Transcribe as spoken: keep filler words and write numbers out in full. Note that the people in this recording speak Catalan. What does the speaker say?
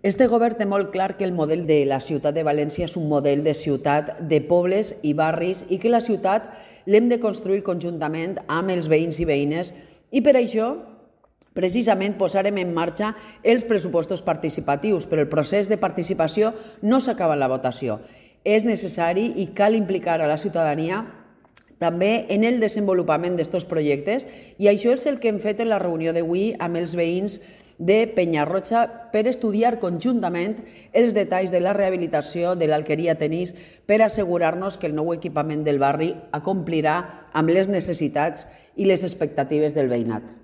Este govern té molt clar que el model de la ciutat de València és un model de ciutat de pobles i barris i que la ciutat l'hem de construir conjuntament amb els veïns i veïnes i per això precisament posarem en marxa els pressupostos participatius, però el procés de participació no s'acaba en la votació. És necessari i cal implicar a la ciutadania també en el desenvolupament d'aquests projectes i això és el que hem fet en la reunió d'avui amb els veïns de Penyarroja per estudiar conjuntament els detalls de la rehabilitació de l'Alqueria Tenis per assegurar-nos que el nou equipament del barri acomplirà amb les necessitats i les expectatives del veïnat.